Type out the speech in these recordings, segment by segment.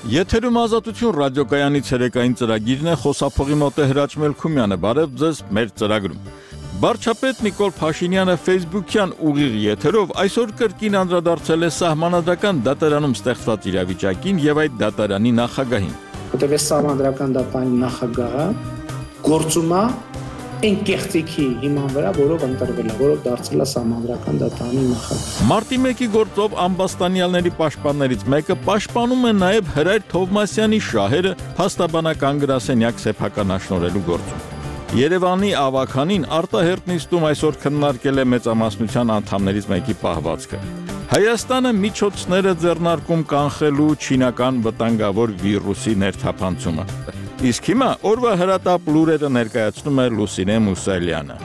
Եթերում Ազատություն ռադիոկայանի ցերեկային ծրագիրն է, խոսափողի մոտ է Հրաչ Մելքումյանը, բարև ձեզ մեր ծրագրում։ Վարչապետ Նիկոլ Փաշինյանը Facebook-յան ուղիղ եթերով այսօր կրկին անդրադարձել է սահմանադրական դատարանում ստեղծված իրավիճակին եւ այդ դատարանի նախագահին։ Որտեղ սահմանադրական դատարանի նախագահը գործում է այն կեղծիքի հիման վրա, որով ընտրվել է, որով դարձել է սահմանադրական դատարանի նախագահ։ Մարտի 1-ի գործով ամբաստանյալների պաշտպաններից մեկը պաշտպանում է նաև Հրայր Թովմասյանի շահերը փաստաբանական գրասենյակ սեփականաշնորհելու գործում։ Երևանի ավականին արտահերտ նիստում այսօր քննարկել է մեծամասնության անդամներից մեկի պահվածքը։ Հայաստանը միջոցներ է ձեռնարկում կանխելու չինական վտանգավոր վիրուսի ներթափանցումը։ Իսկ հիմա օրվա հրատապ լուրերը ներկայացնում է Լուսինե Մուսալյանը։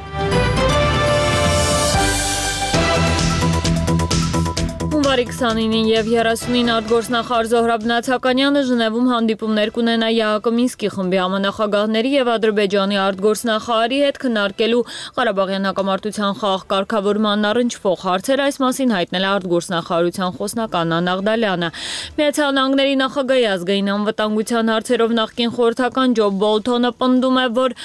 Հունվարի 29-ին եւ 30-ին արտգործնախարար Զոհրաբ Նացականյանը Ժնևում հանդիպումներ կունենա ԵԱՀԿ Մինսկի խմբի համանախագահների եւ Ադրբեջանի արտգործնախարարի հետ քննարկելու Ղարաբաղյան հակամարտության խաղաղ կարգավորման առնչվող հարցեր, այս մասին հայտնել է արտգործնախարարության խոսնական Աննա Աղդալյանը։ Միացյալ Նահանգների նախագահի ազգային անվտանգության հարցերով նախկին խորհրդական Ջո Բոլթոնը պնդում է, որ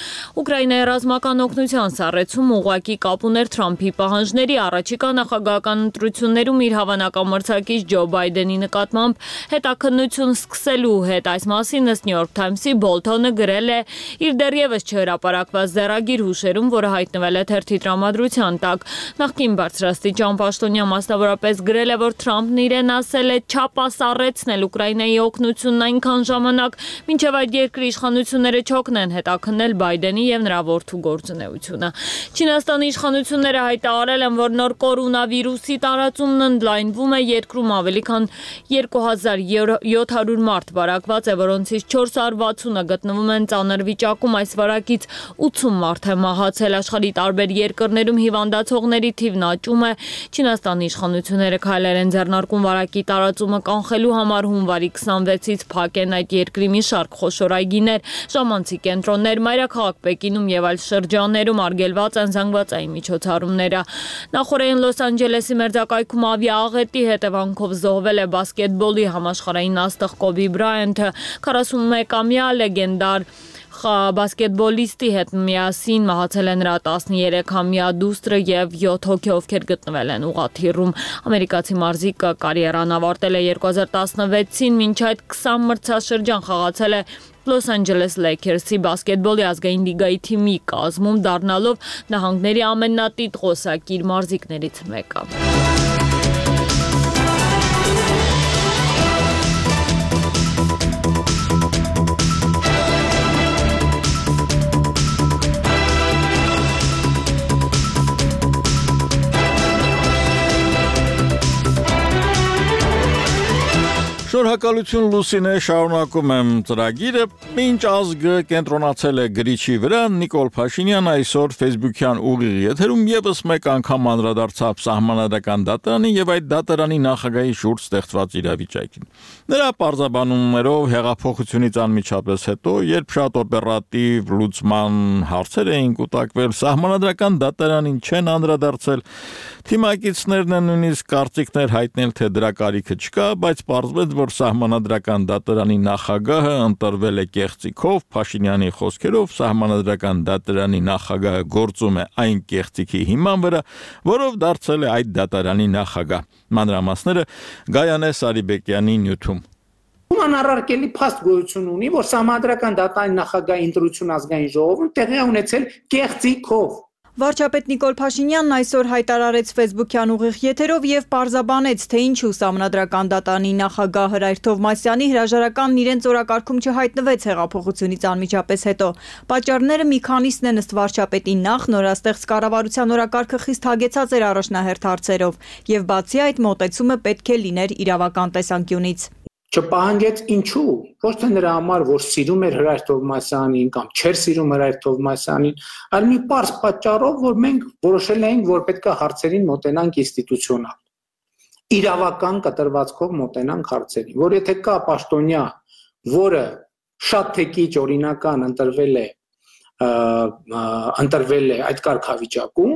Ուկրաինայի ռազմական օգնության սառեցումը ուղղակի կապ ուներ Թրամփի պահանջների առաջիկա նախագահական ընտրություններում իր հավանական Ջո Բայդենի նկատմամբ հետաքննություն սկսելու հետ։ Այս մասին ըստ New York Times-ի Բոլթոնը գրել է իր դեռևս չհրապարակված ձեռագիր հուշերում, որը հայտնվել է թերթի տրամադրության տակ։ Նախկին բարձրաստիճան պաշտոնյա մասնավորապես գրել է, որ Թրամփն իրեն ասել է չապասառեցնել Ուկրաինայի օգնությունն այնքան ժամանակ, մինչև այդ երկրի իշխանությունները չօգնեն հետաքննել Բայդենի եւ նրա որդու գործունեությունը։ Չինաստանի իշխանությունները հայտարարել են, որ նոր կորոնավիրուսի տարածումն ընդլայնվում է, երկրում ավելի քան 2700 մարդ վարակված է, որոնցից 460-ը գտնվում են ծանր վիճակում, այս վարակից 80 մարդ է մահացել։ Աշխարհի տարբեր երկրներում հիվանդացողների թիվն աճում է։ Չինաստանի իշխանությունները քայլեր են ձեռնարկում վարակի տարածումը կանխելու համար։ Հունվարի 26-ից փակ են այդ երկրի մի շարք խոշոր այգիներ, ժամանցի կենտրոններ, մայրաքաղաք Պեկինում եւ այլ շրջաններում արգելված են զանգվածային միջոցառումները։ Նախորդին Լոս Անջելեսի մերձակայքում ավիաաղետի հետևանքով զոհվել է բասկետբոլի համաշխարհային աստղ Կոբի Բրայանթը, 41-ամյա լեգենդար բասկետբոլիստի հետ միասին մահացել է նրա 13-ամյա դուստրը եւ 7 հոգի, ովքեր գտնվել են ուղղաթիռում։ Ամերիկացի մարզիկը կարիերան ավարտել է 2016-ին, մինչ այդ 20 մրցաշրջան խաղացել է Լոս Անջելես Լեյքերսի բասկետբոլի ազգային լիգայի թիմի կազմում, դառնալով նահանգների ամենատիտղոսակիր մարզիկներից մեկը։ Շնորհակալություն Լուսինե, շարունակում եմ ծրագիրը։ Մինչ ազգը կենտրոնացել է գրիչի վրա, Նիկոլ Փաշինյանը այսօր Facebook-յան ուղիղ եթերում եւս մեկ անգամ անդրադարձավ սահմանադրական դատարանին եւ այդ դատարանի նախագահի շուրջ ստեղծված իրավիճակին։ Նրա պարզաբանումներով հեղափոխությունից անմիջապես հետո, երբ շատ օպերատիվ լուծման հարցեր էին կուտակվել, սահմանադրական դատարանին չեն անդրադարձել, թիմակիցներն են նույնիսկ կարծիքներ հայտնել, թե դրա կարիքը չկա, բայց պարզվեց, որ սահմանադրական դատարանի նախագահը ընտրվել է կեղծիքով, Փաշինյանի խոսքերով սահմանադրական դատարանի նախագահը գործում է այն կեղծիքի հիման վրա, որով դարձել է այդ դատարանի նախագահ։ Մանրամասները Գայանե Սարիբեկյանի նյութում։ Անառարկելի փաստ գոյություն ունի, որ սահմանադրական դատարանի նախագահի ընտրություն ազգային ժողովում տեղի է ունեցել կեղծիքով։ Վարչապետ Նիկոլ Փաշինյանն այսօր հայտարարեց Facebook-յան ուղիղ եթերով եւ պարզաբանեց, թե ինչու սահմանադրական դատարանի նախագահ Հրայր Թովմասյանի հրաժարականն իրենց օրակարգում չհայտնվեց հեղափոխությունից անմիջապես հետո։ Պատճառները մի քանիսն են ըստ վարչապետի նախ նորաստեղծ կառավարության օրակարգը խիստ հագեցած էր առաջնահերթ հարցերով եւ բացի այդ մոտեցումը պետք է լիներ իրավական տեսանկյունից։ Չպահանջեց ինչու, ոչ թե նրա համար, որ սիրում էր Հրայր Թովմասյանին կամ չէր սիրում Հրայր Թովմասյանին, այլ մի պարզ պատճառով, որ մենք որոշել էինք, որ պետք է հարցերին մոտենանք ինստիտուցիոնալ, իրավական կտրվածքով մոտենանք հարցերին, որ եթե կա պաշտոնյա, որը շատ թե քիչ օրինական ընտրվել է այդ կարգավիճակում,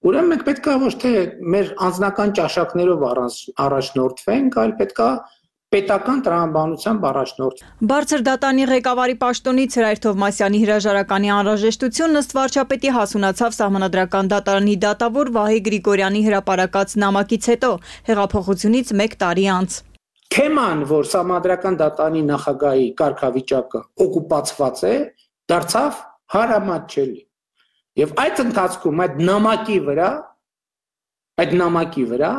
ուրեմն մենք պետք է ոչ թե մեր անձնական ճաշակներով առաջնորդվենք, այլ պետք է պետական տրամաբանության առաջնորդ։ Բարձր դատանի ղեկավարի պաշտոնից Հրայր Թովմասյանի հրաժարականի անհրաժեշտությունն ըստ վարչապետի հասունացավ Սահմանադրական դատարանի դատավոր Վահե Գրիգորյանի հրապարակած նամակից հետո, հեղափոխությունից 1 տարի անց։ Թեման, որ Սահմանադրական դատարանի նախագահի կարգավիճակը օկուպացված է, դարձավ հարամատչելի։ Եվ այդ ընթացքում այդ նամակի վրա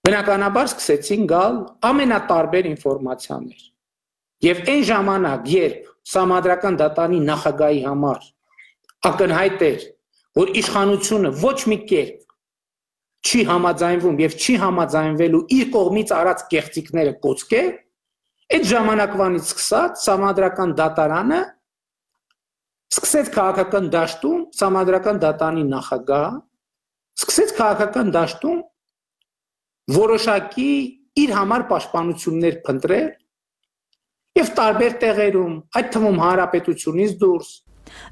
բնականաբար սկսեցին գալ ամենատարբեր ինֆորմացիաներ։ Եվ այն ժամանակ, երբ Սահմանադրական դատարանի նախագահի համար ակնհայտ էր, որ իշխանությունը ոչ մի կերպ չի համաձայնվում եւ չի համաձայնվելու իր կողմից արած կեղծիքները կոչկել, այդ ժամանակվանից սկսած Սահմանադրական դատարանը սկսեց քաղաքական դաշտում Սահմանադրական դատարանի նախագահ սկսեց քաղաքական դաշտում որոշակի իր համար պաշտպանություններ փնտրել եւ տարբեր տեղերում, այդ թվում հանրապետությունից դուրս։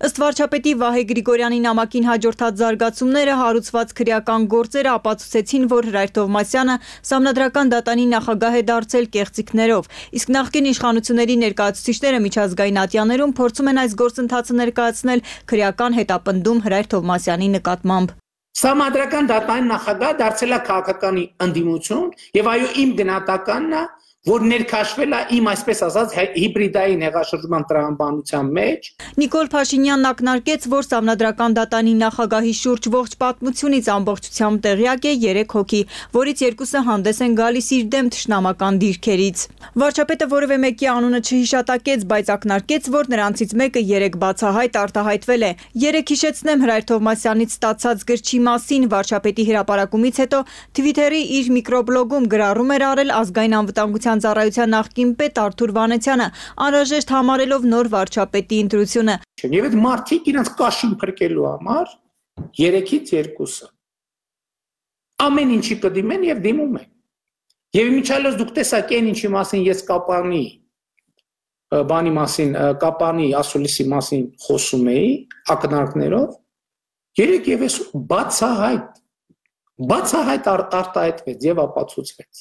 Ըստ վարչապետի Վահե Գրիգորյանի նամակին հաջորդած զարգացումները հարուցված քրեական գործերը ապացուցեցին, որ Հրայր Թովմասյանը Սահմանադրական դատարանի նախագահ է դարձել կեղծիքներով, իսկ նախկին իշխանությունների ներկայացուցիչները միջազգային ատյաներում փորձում են այս գործընթացը ներկայացնել քրեական հետապնդում Հրայր Թովմասյանի նկատմամբ։ Սահմանադրական դատարանի նախագահ դարձել է քաղաքականի ընդդիմություն եւ այո իմ գնահատականն է, որ ներքաշվել է իմ այսպես ասած հիբրիդային հեղաշրջման տրամաբանության մեջ։ Նիկոլ Փաշինյանն ակնարկեց, որ Սահմանադրական դատարանի նախագահի շուրջ ողջ պատմությունից ամբողջությամբ տեղյակ է 3 հոգի, որից 2-ը հանդես են գալիս իր դեմ թշնամական դիրքերից։ Վարչապետը որևէ մեկի անունը չհիշատակեց, բայց ակնարկեց, որ նրանցից մեկը 3 բացահայտ արտահայտվել է։ 3 հիշեցնեմ Հրայր Թովմասյանից ստացած գրչի մասին վարչապետի հրապարակումից հետո Twitter-ի իր միկրոբլոգում գրառում էր արել ազգային անվտանգության ծառայության նախկին պետ Արթուր Վանեցյանը, անհրաժեշտ համարելով նոր վարչապետի ընտրությունը։ Եվ այդ մարդիկ իրենց կաշին փրկելու համար 3-ից 2-ը ամեն ինչի կդիմեն եւ դիմում են։ Եվ միջալոց դուք տեսաք այն ինչի մասին ես Կապանի ասուլիսի մասին խոսում էի ակնարկներով, 3 եւ ես բացահայտ արտահայտվեց եւ ապացուցվեց։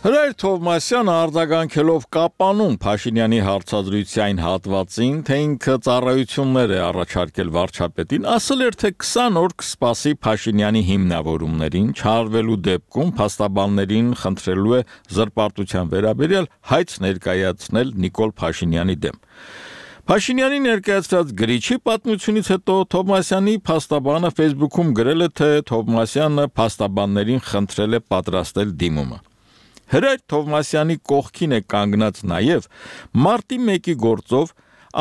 Հրայր Թովմասյանը արձագանքելով Կապանում Փաշինյանի հարցազրույցային հատվածին, թե ինքը ծառայություններ է առաջարկել վարչապետին, ասել էր, թե 20 օր կսպասի Փաշինյանի հիմնավորումներին, չարվելու դեպքում փաստաբաններին խնդրելու է զրպարտության վերաբերյալ հայց ներկայացնել Նիկոլ Փաշինյանի դեմ։ Փաշինյանի ներկայացրած գրիչի պատմությունից հետո Թովմասյանի փաստաբանը Facebook-ում գրել է, թե Թովմասյանը փաստաբաններին խնդրել է պատրաստել դիմումը։ Հրայր Թովմասյանի կողքին է կանգնած նաև մարտի 1-ի գործով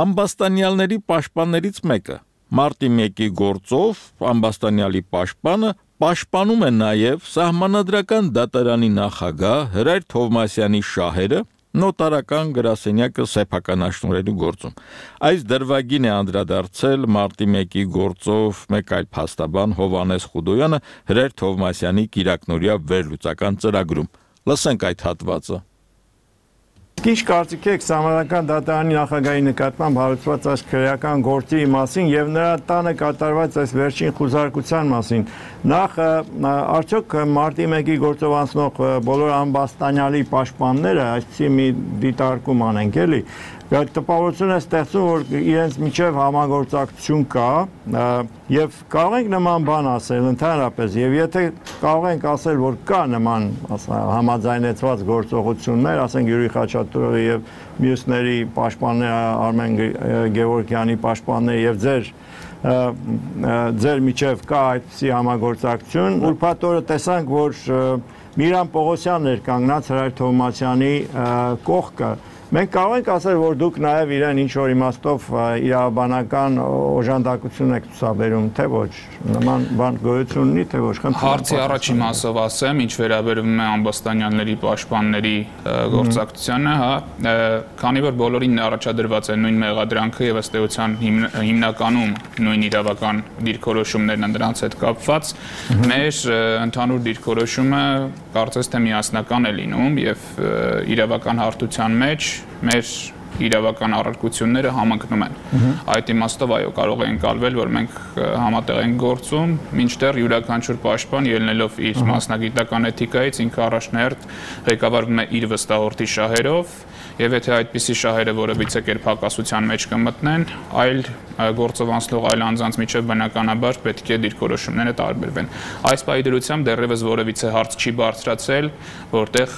ամբաստանյալների պաշտպաններից մեկը։ Մարտի 1-ի գործով ամբաստանյալի պաշտպանը պաշտպանում է նաև Սահմանադրական դատարանի նախագահ Հրայր Թովմասյանի շահերը նոտարական գրասենյակը սեփականաշնորհելու գործում։ Այս դրվագին է անդրադարձել մարտի 1-ի գործով մեկ այլ փաստաբան Հովհաննես Խուդոյանը Հրայր Թովմասյանի կիրակնօրյա վերլուծական ծրագրում։ Լսենք այդ հատվածը։ Ինչ կարծիք եք Սահմանադրական դատարանի նախագահի նկատմամբ հարուցված այս քրեական գործի մասին եւ նրա տանը կատարված այս վերջին խուզարկության մասին։ Նախ արդյոք մարտի 1-ի գործով անցնող բոլոր ամբաստանյալի պաշտպանները այսպիսի մի դիտարկում անենք էլի, տպավորություն է ստեղծում, որ իրենց միջև համագործակցություն կա եւ կարող ենք նման բան ասել ընդհանրապես եւ եթե կարող ենք ասել, որ կա նման համաձայնեցված գործողություններ, ասենք Յուրի Խաչատուրովի եւ մյուսների պաշտպանները Արմեն Գևորգյանի պաշտպանները եւ ձեր միջև կա այդպիսի համագործակցություն, ուրբաթ օրը տեսանք, որ Միրան Պողոսյանն էր կանգնած Հրայր Թովմասյանի կողքը։ Մենք կարող ենք ասել, որ դուք նաև իրեն ինչ-որ իմաստով իրավաբանական օժանդակություն եք ցուցաբերում, թե ոչ, նման բան գոյություն ունի, թե ոչ։ Հարցի առաջին մասով ասեմ, ինչ վերաբերում է ամբաստանյանների պաշտպանների գործակցությանը, քանի որ բոլորին առաջադրված է նույն մեղադրանքը եւ ըստ էության հիմնականում նույն իրավական դիրքորոշումներն են դրանց հետ կապված, մեր ընդհանուր դիրքորոշումը կարծես թե միասնական է լինում եւ իրավական հարթության մեջ մեր իրավական առարկությունները համընկնում են։ Այդ իմաստով այո, կարող է ընկալվել, որ մենք համատեղ ենք գործում, մինչդեռ յուրաքանչյուր պաշտպան ելնելով իր մասնագիտական էթիկայից ինքը առաջնահերթ ղեկավարվում է իր վստահորդի շահերով, եւ եթե այդպիսի շահերը որևիցե կերպ հակասության մեջ կմտնեն, այլ գործով անցնող այլ անձանց միջև բնականաբար պետք է դիրքորոշումները տարբերվեն։ Այս պայմանությամբ դեռևս որևիցե հարց չի բարձրացել, որտեղ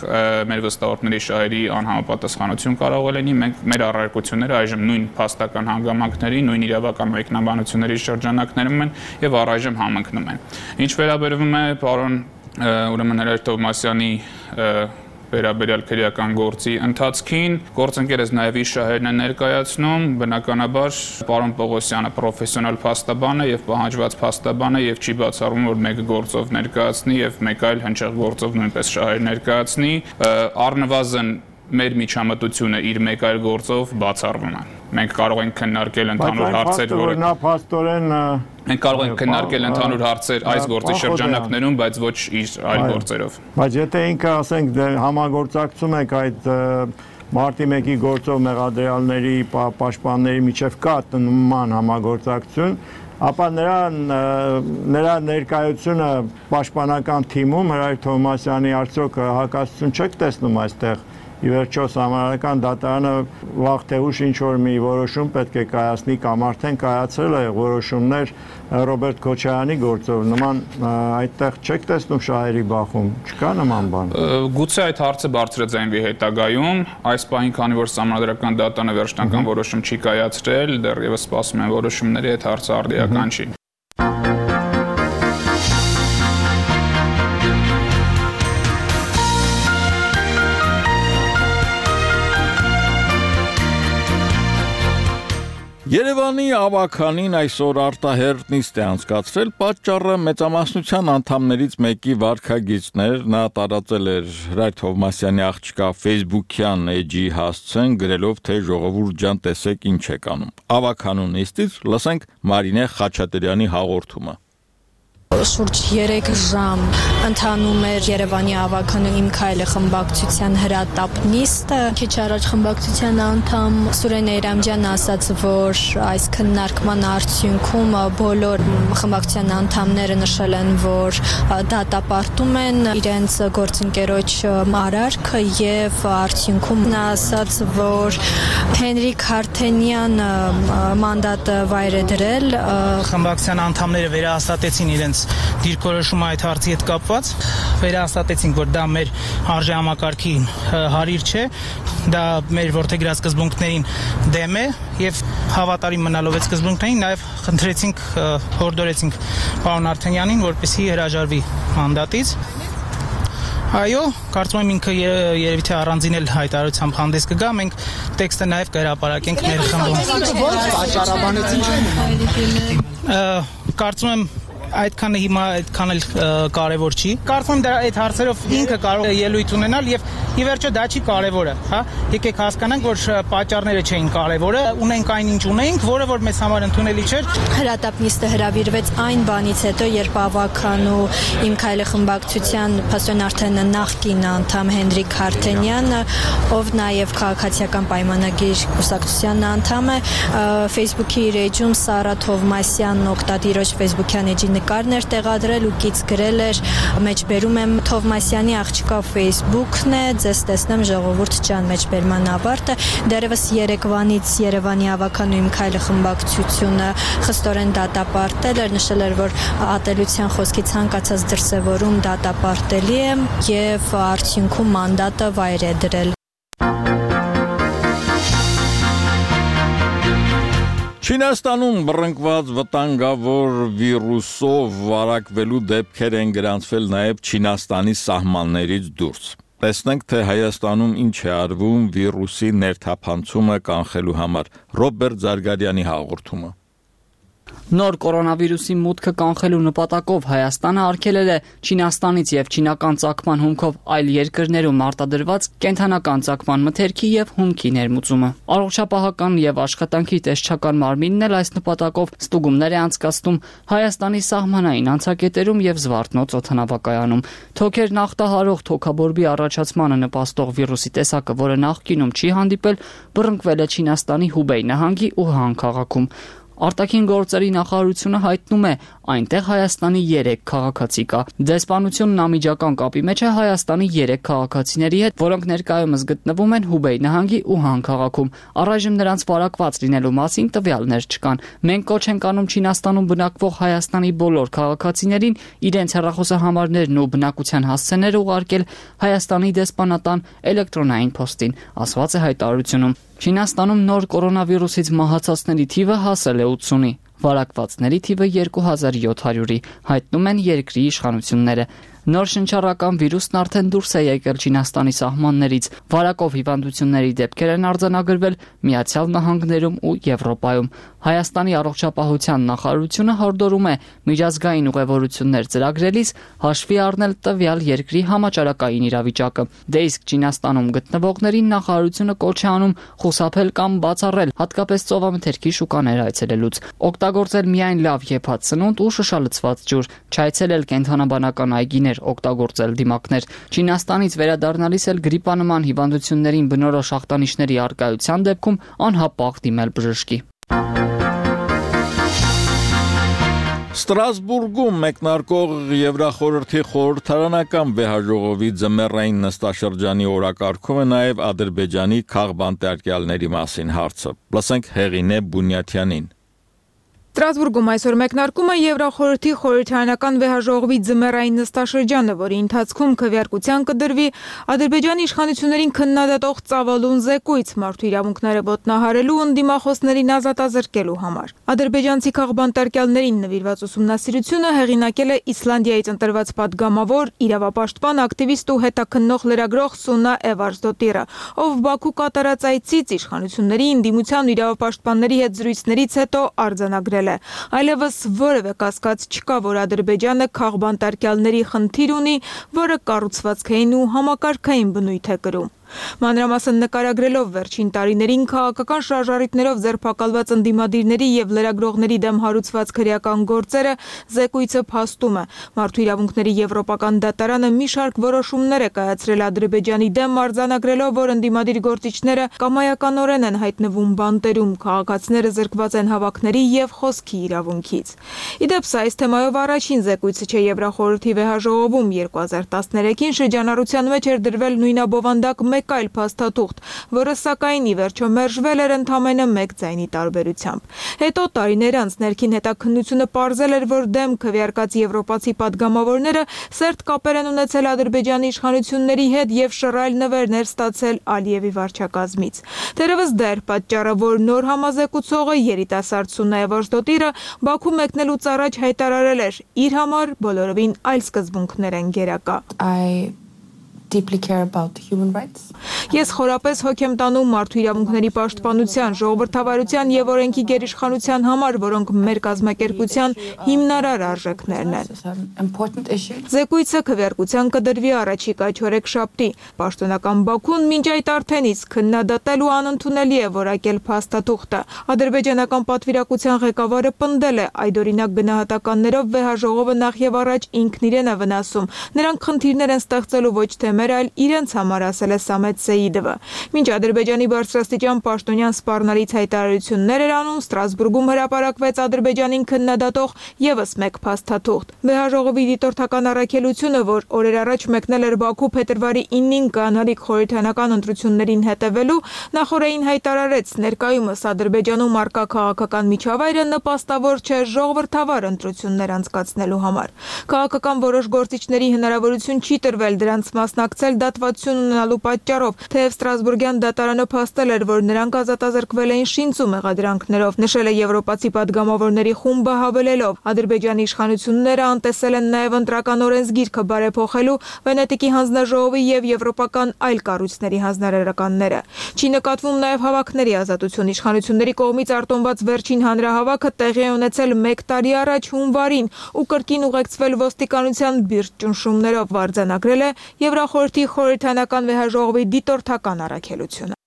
մեր վստահորդների շահերի անհամապատասխանություն կարող է լինի, մենք մեր առարկությունները այժմ նույն փաստական հանգամանքների, նույն իրավական մեկնաբանությունների շրջանակներում են եւ առայժմ համընկնում են։ Ինչ վերաբերվում է պարոն ուրեմն Հրայր Թովմասյանի վերաբերյալ քրեական գործի ընթացքին գործընկերս նաև իր շահերն է ներկայացնում, բնականաբար պարոն Պողոսյանը պրոֆեսիոնալ փաստաբան է եւ պահանջված փաստաբան է եւ չի բացառում, որ մեկը գործով ներկայացնի եւ մեկ այլ հնչեղ գործով նույնպես շահեր ներկայացնի, առնվազն մեր միջամտությունը իր մեկ այլ գործով բացառվում է։ Մենք կարող ենք քննարկել ընդհանուր հարցեր, որը նա փաստորեն մենք կարող ենք քննարկել ընդհանուր հարցեր այս գործի շրջանակներում, բայց ոչ իր այլ գործերով։ Բայց եթե ինքը ասենք համագործակցում եք այդ մարտի 1-ի գործով մեղադրյալների պաշտպանների միջև կա նման համագործակցություն, ապա նրա ներկայությունը պաշտպանական թիմում Հրայր Թովմասյանի արդյոք հակասություն չեք տեսնում այստեղ։ Ի վերջո Սահմանադրական դատարանը վաղ թե ուշ ինչ-որ մի որոշում պետք է կայացնի կամ արդեն կայացրել է որոշումներ Ռոբերտ Քոչարյանի գործով, նման այդտեղ չեք տեսնում շահերի բախում, չկա նման բան։ Գուցե այդ հարցը բարձրաձայնվի հետագայում, այս պահին քանի որ Սահմանադրական դատարանը վերջնական որոշում չի կայացրել, դեռևս սպասում են որոշումների, այդ հարցը արդիական չի։ Երևանի ավականին այսօր արտահերտ նիստ է անցկացրել, պատճառը մեծամասնության անդամներից մեկի վարքագիծներ, նա տարածել էր Հրայր Թովմասյանի աղջկա Facebook-յան էջի հասցեն, գրելով, թե ժողովուրդ ջան, տեսեք ինչ եք անում։ Ավականու նիստից լսենք Մարինե Խաչատրյանի հաղորդումը։ Շուրջ 3 ժամ ընթանում էր Երևանի ավականու Իմ քայլը խմբակցության հրատապ նիստը։ Քիչ առաջ խմբակցության անդամ Սուրեն Էյրամյանն ասաց, որ այս քննարկման արդյունքում բոլոր խմբակցության անդամները նշել են, որ դատապարտում են իրենց գործընկերոջ արարքը եւ արդյունքում նա ասաց, որ Հենրիկ Հարթենյանը մանդատը վայր է դրել։ Խմբակցության անդամները վերահաստատեցին իրենց դիրքորոշումը այդ հարցի հետ կապված, վերահաստատեցինք, որ դա մեր արժեհամակարգի հարիր չէ, դա մեր որդեգրած սկզբունքներին դեմ է եւ հավատարիմ մնալով այդ սկզբունքներին նաեւ խնդրեցինք, հորդորեցինք պարոն Արթենյանին, որպեսզի հրաժարվի մանդատից։ Այո, կարծում եմ ինքը երևի թե առանձին էլ հայտարարությամբ հանդես կգա, մենք տեքստը նաև կհրապարակենք մեր խմբում։ Կարծում եմ այդքանը հիմա այդքան էլ կարևոր չի։ Կարծում եմ դա այդ հարցերով ինքը կարող է ելույթ ունենալ եւ ի վերջո դա չի կարևորը, հա։ Եկեք հասկանանք, որ պատճառները չէին կարևորը, ունենք այն ինչ ունենք, որը որ մեզ համար ընդունելի չէր։ Հրատապ նիստը հրավիրվեց այն բանից հետո, երբ ավականու Իմ քայլը խմբակցության Փաստորեն արդեն նախկին անդամ Հենրիկ Հարթենյանը, ով նաեւ քաղաքացիական պայմանագիր կուսակցության անդամ է, Facebook-ի իր էջում Սարա Թովմասյանն օգտատիրոջ Facebook-յան էջի նկարն էր տեղադրել ու կից գրել էր, մեջբերում եմ Թովմասյանի աղջկա Facebook-ն է, ձեզ տեսնեմ ժողովուրդ ջան, մեջբերման ավարտը։ Դեռևս Երևանից Երևանի ավականու Իմ քայլը խմբակցությունը խստորեն դատապարտել էր, նշել էր, որ ատելության խոսքի ցանկացած դրսևորում դատապարտելի է եւ արդյունքում մանդատը վայր է դրել։ Չինաստանում բռնկված վտանգավոր վիրուսով վարակվելու դեպքեր են գրանցվել նաև Չինաստանի սահմաններից դուրս։ Տեսնենք, թե Հայաստանում ինչ է արվում վիրուսի ներթափանցումը կանխելու համար։ Ռոբերտ Զարգարյանի հաղորդումը։ Նոր կորոնավիրուսի մուտքը կանխելու նպատակով Հայաստանը արգելել է Չինաստանից եւ չինական ծագման հումքով այլ երկրներում արտադրված կենդանական ծագման մթերքի եւ հումքի ներմուծումը։ Առողջապահական եւ աշխատանքի տեսչական մարմինն էլ այս նպատակով ստուգումներ է անցկացնում Հայաստանի սահմանային անցակետերում եւ Զվարթնոց օդանավակայանում։ Թոքեր նախտահարող թոքաբորբի առաջացմանը նպաստող վիրուսի տեսակը, որը նախկինում չի հանդիպել, բռնկվել է Չինաստանի Հուբեյ նահանգի Ուհան քաղաքում։ Արտաքին գործերի նախարարությունը հայտնում է, այնտեղ Հայաստանի 3 քաղաքացի կա։ Դեսպանությունն անմիջական կապի մեջ է Հայաստանի 3 քաղաքացիների հետ, որոնք ներկայումս գտնվում են Հուբեյ նահանգի Ուհան քաղաքում։ Առայժմ նրանց վարակված լինելու մասին տվյալներ չկան։ Մենք կոչ ենք անում Չինաստանում բնակվող Հայաստանի բոլոր քաղաքացիներին իրենց հեռախոսահամարներն ու բնակության հասցեները ուղարկել Հայաստանի դեսպանատան էլեկտրոնային փոստին, ասված է հայտարարությունում։ Չինաստանում նոր կորոնավիրուսից մահացածների թիվը հասել է 80-ի, վարակվածների թիվը 2700-ի, հայտնում են երկրի իշխանությունները։ Նոր շնչառական վիրուսն արդեն դուրս է եկել Չինաստանի սահմաններից, վարակով հիվանդությունների դեպքեր են արձանագրվել Միացյալ Նահանգներում ու Եվրոպայում։ Հայաստանի առողջապահության նախարարությունը հորդորում է միջազգային ուղևորություններ ծրագրելիս հաշվի առնել տվյալ երկրի համաճարակային իրավիճակը։ Դե իսկ Չինաստանում գտնվողներին նախարարությունը կոչ է անում խուսափել կամ բացառել, հատկապես ծովամթերքի շուկաներ այցելելուց, օգտագործել միայն լավ եփած սնունդ ու շշալցված ջուր, չայցելել կենդանաբանական այգիներ, օգտագործել դիմակներ։ Չինաստանից վերադառնալիս էլ գրիպանման հիվանդություններին բնորոշ ախտանիշների առկայության դեպքում անհապաղ դիմել բժշկի։ Ստրասբուրգում մեկնարկող Եվրախորհրդի խորհրդարանական վեհաժողովի ձմեռային նստաշրջանի օրակարգում է նաև Ադրբեջանի քաղբանտարկյալների մասին հարցը։ Լսենք Հեղինե Բունյաթյանին։ Ստրասբուրգում այսօր մեկնարկում է Եվրախորհրդի խորհրդարանական վեհաժողովի ձմեռային նստաշրջանը, որի ընթացքում քվեարկության կդրվի Ադրբեջանի իշխանություններին քննադատող ծավալուն զեկույց մարդու իրավունքները ոտնահարելու ու ընդդիմախոսներին ազատազրկելու համար։ Ադրբեջանցի քաղբանտարկյալներին նվիրված ուսումնասիրությունը հեղինակել է Իսլանդիայից ընտրված падգամավոր, իրավապաշտպան, ակտիվիստ ու հետաքննող լրագրող Սունա Էվարսդոտիրը, ով Բաքու կատարած այցից իշխանությունների, ընդդիմության ու իրավապաշտպանների հետ զրույցներից հետո արձանագրել Այլևս որևէ կասկած չկա, որ Ադրբեջանը քաղբանտարկյալների խնդիր ունի, որը կառուցվածքային ու համակարգային բնույթ է կրում։ Մանրամասն նկարագրելով վերջին տարիներին քաղաքական շարժառիթներով ձերբակալված ընդդիմադիրների եւ լրագրողների դեմ հարուցված քրեական գործերը զեկույցը փաստում է։ Մարդու իրավունքների եվրոպական դատարանը մի շարք որոշումներ է կայացրել Ադրբեջանի դեմ, արձանագրելով, որ ընդդիմադիր գործիչները կամայականորեն են հայտնվում բանտերում, քաղաքացիները զրկված են հավաքների եւ խոսքի իրավունքից։ Իդեպ սա այս թեմայով առաջին զեկույցը չէ Եվրախորհրդի վեհաժողովում 2013-ին շրջանառության մեջ էր դրվել նույնաբովանդակ մեկ այլ փաստաթուղթ, որը սակայն ի վերջո մերժվել էր ընդամենը մեկ ձայնի տարբերությամբ։ Հետո տարիներ անց ներքին հետաքննությունը պարզել էր, որ դեմ քվեարկած եվրոպացի падգամավորները սերտ կապեր են ունեցել Ադրբեջանի իշխանությունների հետ եւ շռայլ նվերներ ստացել Ալիևի վարչակազմից։ Դերևս դա էր պատճառը, որ նոր համազեկուցողը երիտասարդ Սունա Էվարսդոտիրը Բաքու մեկնելուց առաջ հայտարարել էր, իր համար բոլորովին այլ սկզբունքներ են գերակա։ deeply care about human rights. Ես խորապես հոգ եմ տանում մարդու իրավունքների պաշտպանության, ժողովրդավարության եւ օրենքի գերիշխանության համար, որոնք մեր կազմակերպության հիմնարար արժեքներն են։ Զեկույցը քվեարկության կդրվի առաջիկա չորեքշաբթի։ Պաշտոնական Բաքուն մինչ այդ արդեն իսկ քննադատել ու անընդունելի է որակել փաստաթուղթը։ Ադրբեջանական պատվիրակության ղեկավարը պնդել է, այդօրինակ գնահատականներով վեհաժողովը նախ եւ առաջ ինքն իրեն է վնասում։ Նրանք խնդիրներ են ստեղծելու ոչ թե այլ իրենց համար, ասել է Սամետ Սեիդովը։ Մինչ Ադրբեջանի բարձրաստիճան պաշտոնյան սպառնալից հայտարարություններ էր անում, Ստրասբուրգում հրապարակվեց Ադրբեջանին քննադատող եւս մեկ փաստաթուղթ։ Վեհաժողովի դիտորդական առաքելությունը, որ օրեր առաջ մեկնել էր Բաքու փետրվարի 9-ին կանալիք խորհրդարանական ընտրություններին հետևելու, նախորդին հայտարարեց, ներկայումս Ադրբեջանում արկա քաղաքական միջավայրը նպաստավոր չէ ժողովրդավար ընտրություններ անցկացնելու համար։ Քաղաքական որոշ գործիչների հնարավորություն չի տրվել դրանց մասնակցել մասնակցել դատվացություն ունենալու պատճառով, թեև Ստրասբուրգյան դատարանը փաստել էր, որ նրանք ազատազրկվել էին շինծու մեղադրանքներով, նշել է եվրոպացի պատգամավորների խումբը հավելելով. Ադրբեջանի իշխանությունները անտեսել են նաև ընտրական օրենսգիրքը բարեփոխելու Վենետիկի հանձնաժողովի եւ եվրոպական այլ կառույցների հանձնարարականները։ Չի նկատվում նաև հավաքների ազատություն։ Իշխանությունների կողմից արտոնված վերջին հանրահավաքը տեղի է ունեցել 1 տարի առաջ հունվարին ու կրկին ուղեկցվել ոստիկանության բիրտ ճնշումներով, արձանագրել է Եվրախորհրդի խորհրդանական վեհաժողովի դիտորդական առաքելությունը։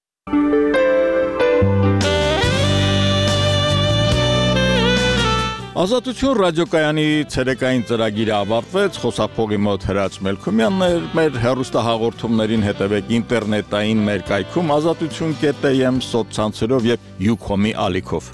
Ազատություն ռադիոկայանի ցերեկային ծրագիրը ավարտվեց, խոսափողի մոտ Հրաչ Մելքումյանն էր, մեր հեռուստահաղորդումներին հետևեք ինտերնետային մեր կայքում azatutun.am սոցցանցերով եւ Ucom-ի ալիքով։